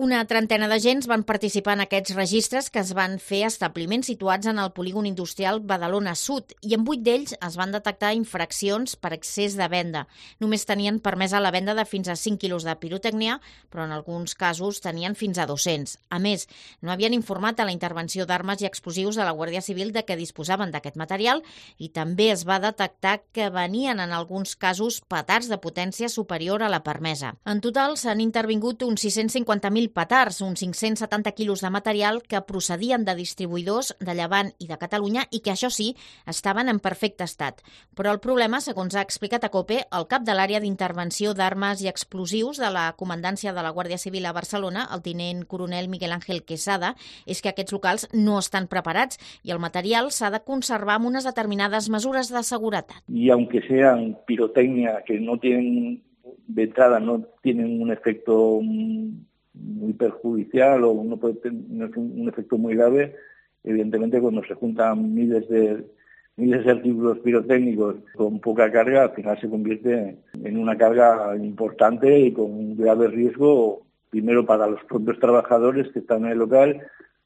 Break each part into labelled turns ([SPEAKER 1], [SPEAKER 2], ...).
[SPEAKER 1] Una trentena d'agents van participar en aquests registres que es van fer a establiments situats en el polígon industrial Badalona Sud i en 8 d'ells es van detectar infraccions per excés de venda. Només tenien permesa la venda de fins a 5 quilos de pirotècnia, però en alguns casos tenien fins a 200. A més, no havien informat a la intervenció d'armes i explosius de la Guàrdia Civil de què disposaven d'aquest material i també es va detectar que venien en alguns casos petards de potència superior a la permesa. En total s'han intervingut uns 650.000 petards, uns 570 quilos de material que procedien de distribuïdors de Llevant i de Catalunya i que, això sí, estaven en perfecte estat. Però el problema, segons ha explicat a COPE, el cap de l'àrea d'intervenció d'armes i explosius de la Comandància de la Guàrdia Civil a Barcelona, el tinent coronel Miguel Ángel Quesada, és que aquests locals no estan preparats i el material s'ha de conservar amb unes determinades mesures de seguretat.
[SPEAKER 2] Y aunque sean pirotecnia que no tienen de entrada, no tienen un efecto muy perjudicial o no puede tener un efecto muy grave, evidentemente cuando se juntan miles de artículos pirotécnicos con poca carga, al final se convierte en una carga importante y con un grave riesgo, primero para los propios trabajadores que están en el local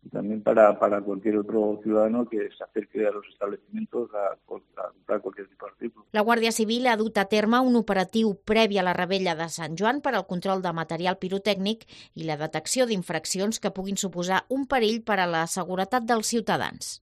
[SPEAKER 2] y también para cualquier otro ciudadano que se acerque a los establecimientos a comprar cualquier tipo de artículo.
[SPEAKER 1] La Guàrdia Civil ha dut a terme un operatiu previ a la Rebella de Sant Joan per al control de material pirotècnic i la detecció d'infraccions que puguin suposar un perill per a la seguretat dels ciutadans.